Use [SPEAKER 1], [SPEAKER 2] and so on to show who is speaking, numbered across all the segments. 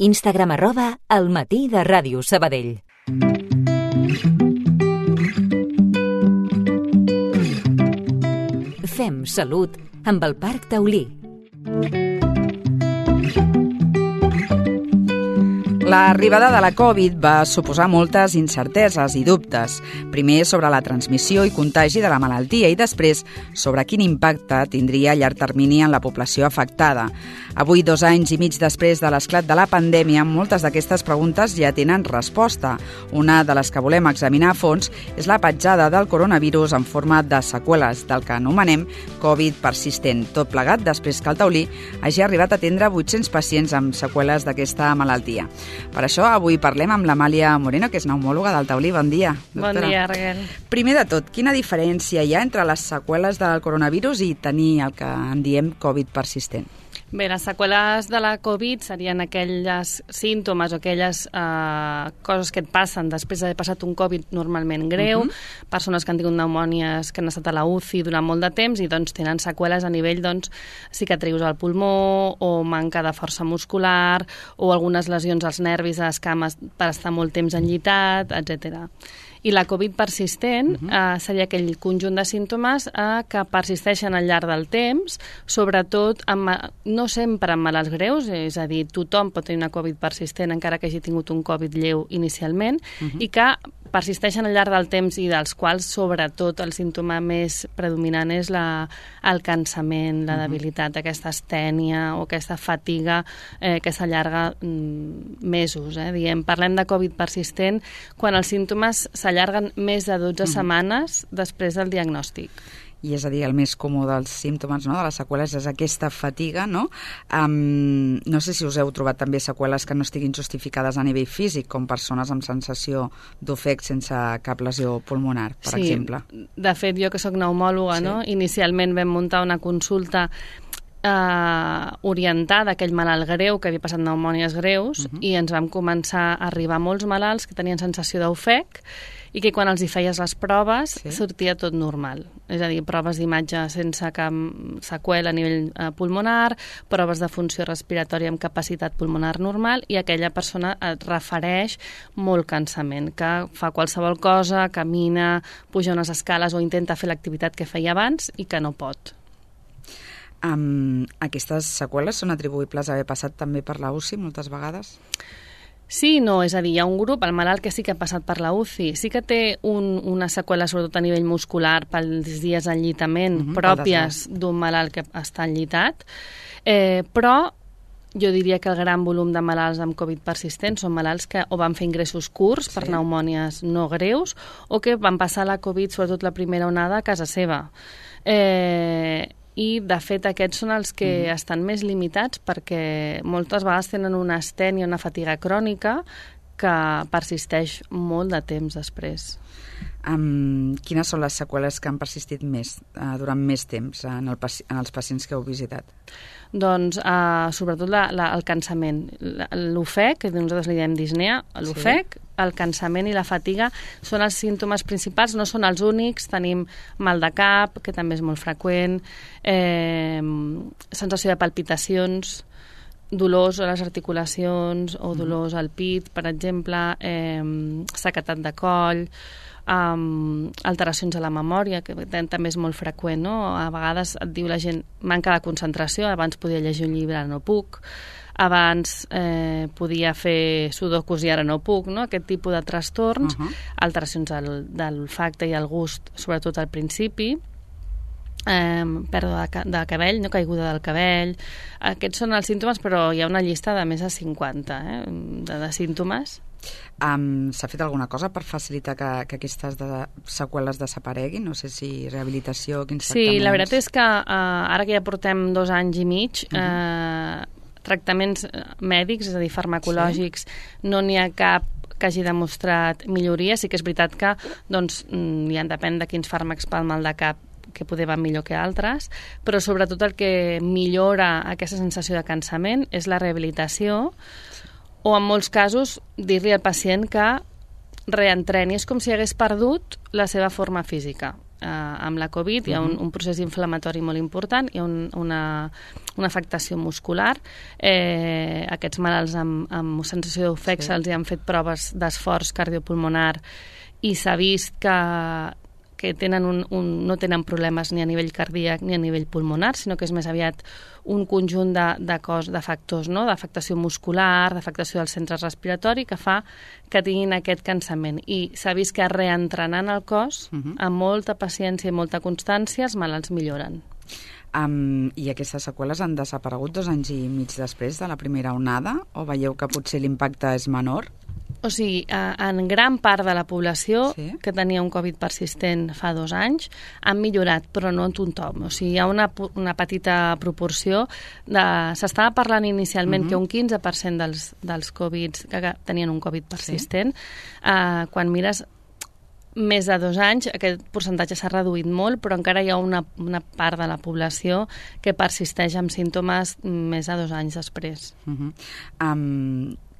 [SPEAKER 1] Instagram @elmatí_de_Ràdio Sabadell. Fem salut amb el Parc Taulí.
[SPEAKER 2] L'arribada de la Covid va suposar moltes incerteses i dubtes. Primer sobre la transmissió i contagi de la malaltia i després sobre quin impacte tindria a llarg termini en la població afectada. Avui, 2 anys i mig després de l'esclat de la pandèmia, moltes d'aquestes preguntes ja tenen resposta. Una de les que volem examinar a fons és la petjada del coronavirus en forma de seqüeles del que anomenem Covid persistent. Tot plegat després que el Taulí hagi arribat a atendre 800 pacients amb seqüeles d'aquesta malaltia. Per això, avui parlem amb l'Amàlia Moreno, que és pneumòloga del Taulí. Bon dia, doctora.
[SPEAKER 3] Bon dia, Raquel.
[SPEAKER 2] Primer de tot, quina diferència hi ha entre les seqüeles del coronavirus i tenir el que en diem Covid persistent?
[SPEAKER 3] Bé, les seqüeles de la Covid serien aquells símptomes o aquelles coses que et passen després d'haver passat un Covid normalment greu, persones que han tingut pneumònies, que han estat a la UCI durant molt de temps i doncs tenen seqüeles a nivell cicatrius al pulmó o manca de força muscular o algunes lesions als nervis, a les cames per estar molt temps enllitat, etc. I la Covid persistent seria aquell conjunt de símptomes que persisteixen al llarg del temps, sobretot no sempre en malalts greus, és a dir, tothom pot tenir una Covid persistent encara que hagi tingut un Covid lleu inicialment, i que persisteixen al llarg del temps i dels quals, sobretot, el símptoma més predominant és el cansament, la debilitat, aquesta astènia o aquesta fatiga que s'allarga mesos. Parlem de Covid persistent quan els símptomes s'allarguen més de 12 setmanes després del diagnòstic.
[SPEAKER 2] I és a dir, el més comú dels símptomes, no?, de les seqüeles és aquesta fatiga, no? No sé si us heu trobat també seqüeles que no estiguin justificades a nivell físic, com persones amb sensació d'ofec sense cap lesió pulmonar, per exemple.
[SPEAKER 3] Sí, de fet, jo que sóc pneumòloga, no? Inicialment vam muntar una consulta orientada a aquell malalt greu que havia passat pneumònies greus i ens vam començar a arribar molts malalts que tenien sensació d'ofec i que quan els hi feies les proves sortia tot normal. És a dir, proves d'imatge sense cap seqüela a nivell pulmonar, proves de funció respiratòria amb capacitat pulmonar normal i aquella persona et refereix molt cansament, que fa qualsevol cosa, camina, puja unes escales o intenta fer l'activitat que feia abans i que no pot.
[SPEAKER 2] Aquestes seqüeles són atribuïbles a haver passat també per la UCI moltes vegades?
[SPEAKER 3] Sí, no, és a dir, hi ha un grup, el malalt que sí que ha passat per la UCI, sí que té una seqüela sobretot a nivell muscular pels dies d'enllitament pròpies d'un malalt que està enllitat, però jo diria que el gran volum de malalts amb Covid persistent són malalts que o van fer ingressos curts per pneumònies no greus o que van passar la Covid, sobretot la primera onada, a casa seva. I, de fet, aquests són els que estan més limitats perquè moltes vegades tenen una astènia, una fatiga crònica que persisteix molt de temps després.
[SPEAKER 2] Quines són les seqüeles que han persistit més, durant més temps en els pacients que heu visitat?
[SPEAKER 3] Doncs, sobretot el cansament. L'ofec, que nosaltres li diem disnea, l'ofec, el cansament i la fatiga són els símptomes principals, no són els únics. Tenim mal de cap, que també és molt freqüent, sensació de palpitacions, dolors a les articulacions o dolors al pit, per exemple, sequedat de coll, alteracions a la memòria, que també és molt freqüent, no? A vegades et diu la gent manca de concentració, abans podia llegir un llibre, ara no puc, abans podia fer sudokus i ara no puc, no? Aquest tipus de trastorns, alteracions de l'olfacte i el gust, sobretot al principi, pèrdua de cabell, no, caiguda del cabell. Aquests són els símptomes, però hi ha una llista de més de 50 de símptomes.
[SPEAKER 2] S'ha fet alguna cosa per facilitar que aquestes seqüeles desapareguin? No sé si rehabilitació, quins tractaments...
[SPEAKER 3] Sí, la veritat és que ara que ja portem 2 anys i mig, tractaments mèdics, és a dir, farmacològics, no n'hi ha cap que hagi demostrat milloria. Sí que és veritat que depèn de quins fàrmacs pel mal de cap que poder van millor que altres, però sobretot el que millora aquesta sensació de cansament és la rehabilitació, o en molts casos dir-li al pacient que reentreni. És com si hagués perdut la seva forma física. amb la Covid, hi ha un procés inflamatori molt important, hi ha una afectació muscular. Aquests malalts amb sensació d'ofec se'ls han fet proves d'esforç cardiopulmonar i s'ha vist que no tenen problemes ni a nivell cardíac ni a nivell pulmonar, sinó que és més aviat un conjunt de factors, no? D'afectació muscular, d'afectació del centre respiratori, que fa que tinguin aquest cansament. I s'ha vist que reentrenant el cos, amb molta paciència i molta constància, els malalts milloren.
[SPEAKER 2] I aquestes seqüeles han desaparegut 2 anys i mig després de la primera onada? O veieu que potser l'impacte és menor?
[SPEAKER 3] O sigui, en gran part de la població que tenia un Covid persistent fa 2 anys han millorat, però no en tothom. O sigui, hi ha una petita proporció. S'estava parlant inicialment que un 15% dels Covids que tenien un Covid persistent. Quan mires més de 2 anys, aquest percentatge s'ha reduït molt, però encara hi ha una part de la població que persisteix amb símptomes més de 2 anys després.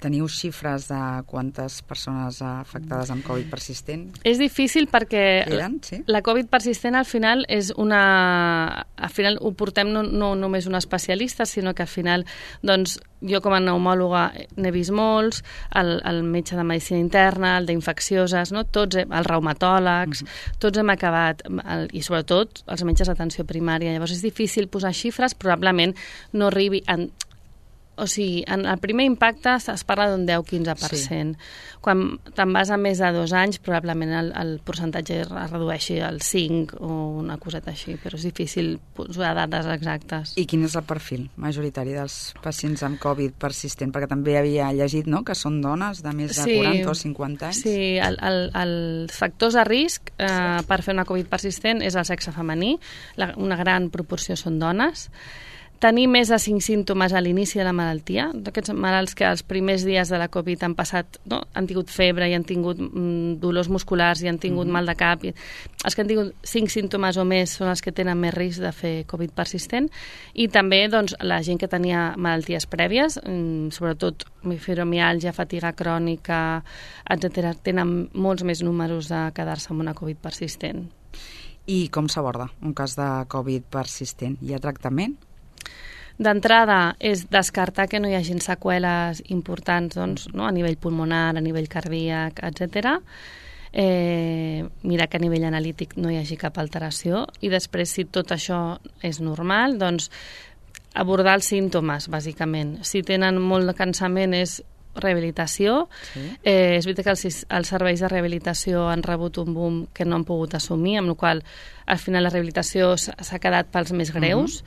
[SPEAKER 2] Teniu xifres de quantes persones afectades amb Covid persistent?
[SPEAKER 3] És difícil perquè la Covid persistent al final al final ho portem no només un especialista, sinó que al final, doncs, jo com a pneumòloga n'he vist molts, el metge de medicina interna, el d'infeccioses, no? Tots, els reumatòlegs, tots hem acabat, i sobretot els metges d'atenció primària. Llavors és difícil posar xifres, probablement no arribi o sigui, en el primer impacte es parla d'un 10-15%. Quan te'n vas a més de 2 anys, probablement el percentatge es redueixi al 5 o una coseta així, però és difícil posar dades exactes.
[SPEAKER 2] I quin és el perfil majoritari dels pacients amb Covid persistent? Perquè també havia llegit, no?, que són dones de més de 40 o 50 anys.
[SPEAKER 3] Sí, els factors de risc per fer una Covid persistent és el sexe femení, una gran proporció són dones. Tenir més de 5 símptomes a l'inici de la malaltia, d'aquests malalts que els primers dies de la Covid han passat, no? Han tingut febre i han tingut dolors musculars i han tingut mal de cap. Els que han tingut 5 símptomes o més són els que tenen més risc de fer Covid persistent. I també, doncs, la gent que tenia malalties prèvies, sobretot fibromiàlgia, fatiga crònica, etc., tenen molts més números de quedar-se amb una Covid persistent.
[SPEAKER 2] I com s'aborda un cas de Covid persistent? Hi ha tractament?
[SPEAKER 3] D'entrada és descartar que no hi hagin seqüeles importants, doncs, no? A nivell pulmonar, a nivell cardíac, etc. Mirar que a nivell analític no hi hagi cap alteració i després, si tot això és normal, doncs abordar els símptomes, bàsicament. Si tenen molt de cansament és rehabilitació. És veritat que els serveis de rehabilitació han rebut un boom que no han pogut assumir, amb la qual al final la rehabilitació s'ha quedat pels més greus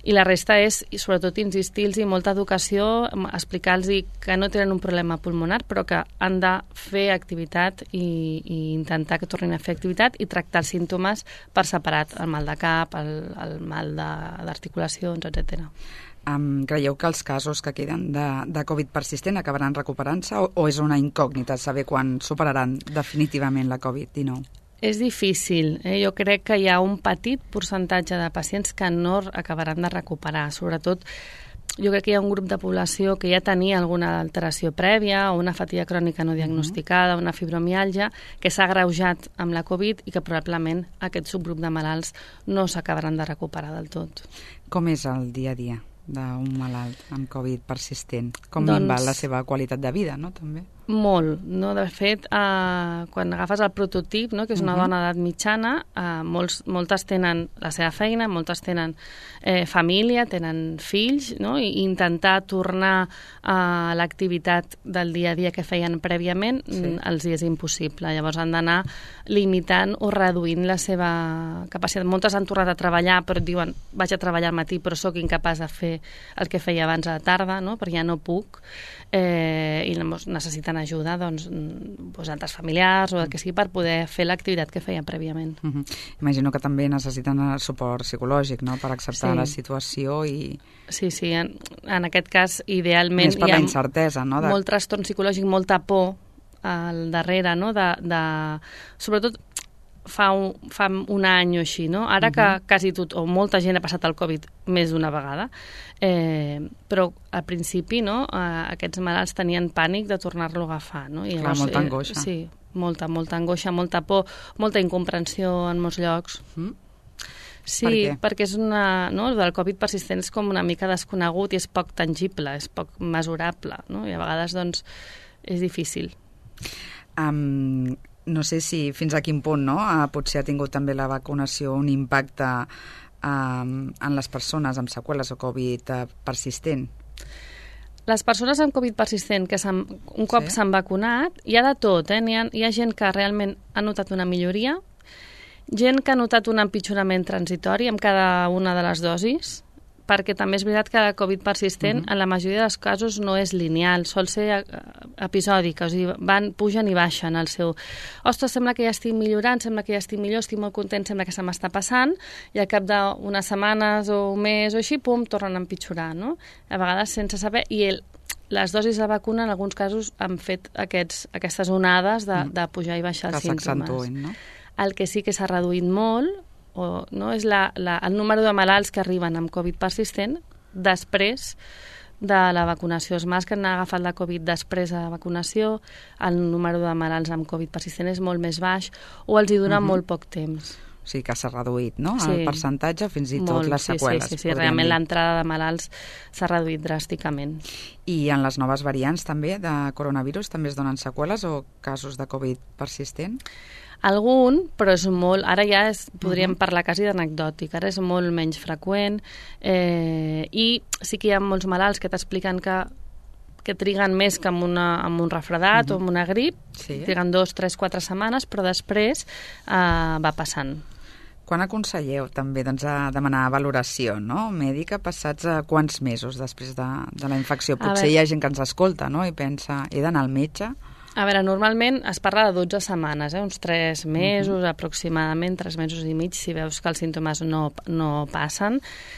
[SPEAKER 3] i la resta és, i sobretot, insistir-los i molta educació, explicar-los que no tenen un problema pulmonar però que han de fer activitat i intentar que tornin a fer activitat i tractar els símptomes per separat, el mal de cap, el mal d'articulacions, etc.
[SPEAKER 2] Creieu que els casos que queden de Covid persistent acabaran recuperant-se o és una incògnita saber quan superaran definitivament la Covid-19?
[SPEAKER 3] És difícil. Jo crec que hi ha un petit percentatge de pacients que no acabaran de recuperar. Sobretot, jo crec que hi ha un grup de població que ja tenia alguna alteració prèvia o una fatiga crònica no diagnosticada, una fibromiàlgia, que s'ha agreujat amb la Covid i que probablement aquest subgrup de malalts no s'acabaran de recuperar del tot.
[SPEAKER 2] Com és el dia a dia d'un malalt amb Covid persistent? Com minva la seva qualitat de vida, no, també?
[SPEAKER 3] Molt, no? De fet, quan agafes el prototip, no? Que és una dona d'edat mitjana, moltes tenen la seva feina, moltes tenen família, tenen fills, no? I intentar tornar a l'activitat del dia a dia que feien prèviament els és impossible. Llavors han d'anar limitant o reduint la seva capacitat. Moltes han tornat a treballar, però diuen, vaig a treballar al matí, però sóc incapaç de fer el que feia abans a la tarda, no? Perquè ja no puc. I necessiten ajuda altres familiars o el que sigui per poder fer l'activitat que feien prèviament.
[SPEAKER 2] Imagino que també necessiten suport psicològic, no?, per acceptar la situació i...
[SPEAKER 3] Sí, en aquest cas idealment
[SPEAKER 2] més per la incertesa, no?
[SPEAKER 3] Molt trastorn psicològic, molta por al darrere, no? Sobretot fa un any o així, no? Ara que quasi tot, o molta gent ha passat el Covid més d'una vegada, però al principi, no, aquests malalts tenien pànic de tornar-lo a agafar, no? I
[SPEAKER 2] llavors, molta angoixa.
[SPEAKER 3] Sí, molta angoixa, molta por, molta incomprensió en molts llocs. Sí, perquè és no? El del Covid persistent és com una mica desconegut i és poc tangible, és poc mesurable, no? I a vegades, doncs, és difícil.
[SPEAKER 2] No sé si fins a quin punt, no? Potser ha tingut també la vacunació un impacte en les persones amb seqüeles o Covid persistent.
[SPEAKER 3] Les persones amb Covid persistent que un cop s'han vacunat, hi ha de tot, hi ha gent que realment ha notat una milloria, gent que ha notat un empitjorament transitori amb cada una de les dosis, perquè també és veritat que la Covid persistent en la majoria dels casos no és lineal, sol ser episòdica, o sigui, pugen i baixen el seu... Ostres, sembla que ja estic millorant, sembla que ja estic millor, estic molt content, sembla que se m'està passant, i al cap d'unes setmanes o un mes o així, pum, tornen a empitjorar, no? A vegades sense saber... I les dosis de vacuna en alguns casos han fet aquestes onades de pujar i baixar els símptomes.
[SPEAKER 2] Que s'accentuen, no?
[SPEAKER 3] El que sí que s'ha reduït molt és el número de malalts que arriben amb Covid persistent després de la vacunació. Els malalts que han agafat la Covid després de la vacunació, el número de malalts amb Covid persistent és molt més baix o els hi dura molt poc temps.
[SPEAKER 2] O sigui que s'ha reduït, no? El percentatge, fins i tot les seqüeles.
[SPEAKER 3] Sí, realment l'entrada de malalts s'ha reduït dràsticament.
[SPEAKER 2] I en les noves variants també de coronavirus també es donen seqüeles o casos de Covid persistent?
[SPEAKER 3] Algun, però és molt... Ara ja podríem parlar quasi d'anecdòtic, ara és molt menys freqüent i sí que hi ha molts malalts que t'expliquen que triguen més que amb un refredat o amb una grip, triguen 2, 3, 4 setmanes, però després va passant.
[SPEAKER 2] Quan aconselleu també a demanar valoració mèdica passats quants mesos després de la infecció? Potser hi ha gent que ens escolta i pensa, he d'anar al metge?
[SPEAKER 3] A veure, normalment es parla de 12 setmanes, uns 3 mesos aproximadament, 3 mesos i mig, si veus que els símptomes no passen,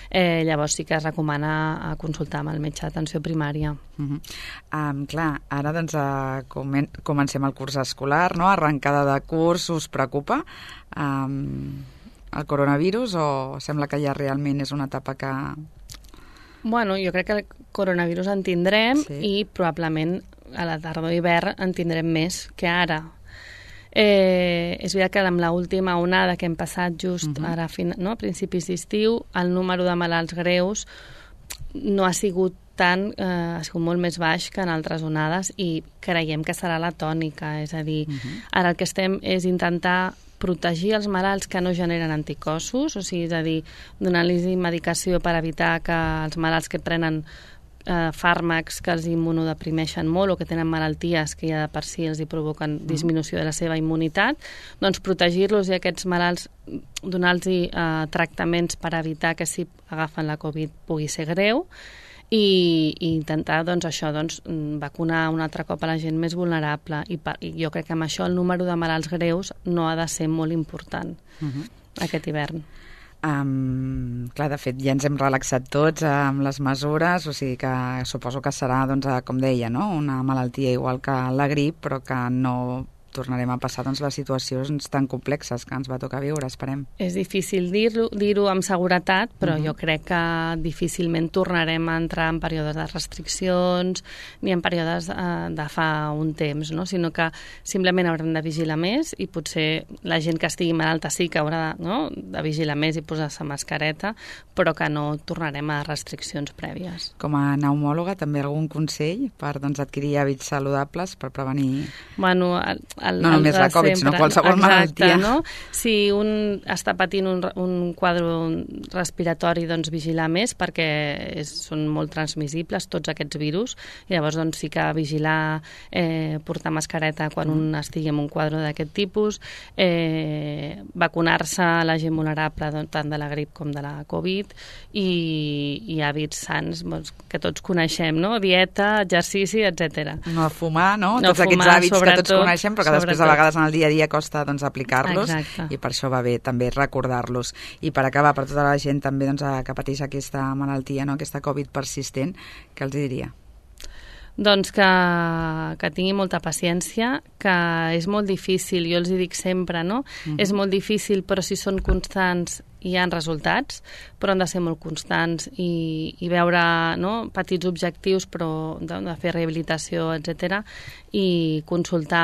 [SPEAKER 3] llavors sí que es recomana consultar amb el metge d'atenció primària.
[SPEAKER 2] Clar, ara comencem el curs escolar, arrencada de curs, us preocupa el coronavirus o sembla que ja realment és una etapa que...
[SPEAKER 3] Bueno, jo crec que el coronavirus en tindrem i probablement a la tardor i hivern en tindrem més que ara. És veritat que amb l'última onada que hem passat just ara a principis d'estiu, el número de malalts greus no ha sigut tant, ha sigut molt més baix que en altres onades i creiem que serà la tònica, és a dir, ara el que estem és intentar protegir els malalts que no generen anticossos, o sigui, és a dir, donar-los medicació per evitar que els malalts que prenen fàrmacs que els immunodeprimeixen molt o que tenen malalties que ja de per si els hi provoquen disminució de la seva immunitat, doncs protegir-los i aquests malalts donar-los tractaments per evitar que si agafen la Covid pugui ser greu i intentar vacunar un altre cop a la gent més vulnerable i jo crec que amb això el número de malalts greus no ha de ser molt important aquest hivern.
[SPEAKER 2] Clar, de fet, ja ens hem relaxat tots amb les mesures, o sigui que suposo que serà, com deia, una malaltia igual que la grip, però que no tornarem a passar les situacions tan complexes que ens va tocar viure, esperem.
[SPEAKER 3] És difícil dir-ho amb seguretat, però jo crec que difícilment tornarem a entrar en períodes de restriccions ni en períodes de fa un temps, sinó que simplement haurem de vigilar més i potser la gent que estigui malalta sí que haurà de vigilar més i posar-se mascareta, però que no tornarem a restriccions prèvies.
[SPEAKER 2] Com a pneumòloga, també algun consell per adquirir hàbits saludables per prevenir...
[SPEAKER 3] Bueno,
[SPEAKER 2] no només la Covid, sinó qualsevol malaltia.
[SPEAKER 3] No? Si un està patint un quadre respiratori, doncs vigilar més perquè són molt transmissibles tots aquests virus i llavors sí que vigilar, portar mascareta quan un estigui en un quadre d'aquest tipus, vacunar-se a la gent vulnerable tant de la grip com de la Covid i hàbits sants que tots coneixem, dieta, exercici, etc.
[SPEAKER 2] No fumar, tots aquests hàbits que tots coneixem però que després a vegades en el dia a dia costa aplicar-los.
[SPEAKER 3] Exacte.
[SPEAKER 2] I per això va bé també recordar-los. I per acabar, per tota la gent també que pateix aquesta malaltia, aquesta Covid persistent, què els diria?
[SPEAKER 3] Doncs que tingui molta paciència, que és molt difícil, jo els hi dic sempre, no? És molt difícil, però si són constants hi ha resultats, però han de ser molt constants i veure, no, petits objectius, però de fer rehabilitació, etc, i consultar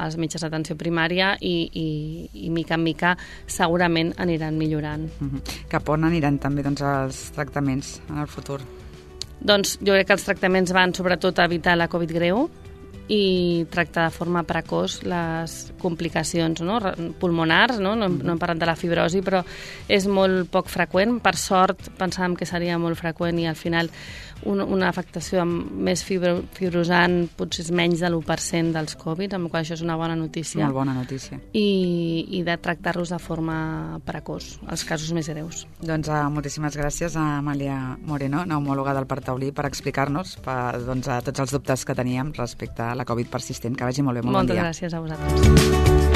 [SPEAKER 3] els metges d'atenció primària i mica en mica segurament aniran millorant.
[SPEAKER 2] Cap on aniran també els tractaments en el futur?
[SPEAKER 3] Doncs jo crec que els tractaments van sobretot a evitar la Covid greu i tractar de forma precoç les complicacions, no, pulmonars, no hem parlat de la fibrosi, però és molt poc freqüent. Per sort pensàvem que seria molt freqüent i al final una afectació amb més fibrosant potser és menys de l'1% dels Covid, amb la qual això és una bona notícia.
[SPEAKER 2] Molt bona notícia.
[SPEAKER 3] I de tractar-los de forma precoç, els casos més greus.
[SPEAKER 2] Doncs moltíssimes gràcies a Amàlia Moreno, neumòloga del Parc Taulí, per explicar-nos tots els dubtes que teníem respecte a la Covid persistent. Que vagi molt bé, molt bon dia.
[SPEAKER 3] Moltes gràcies a vosaltres.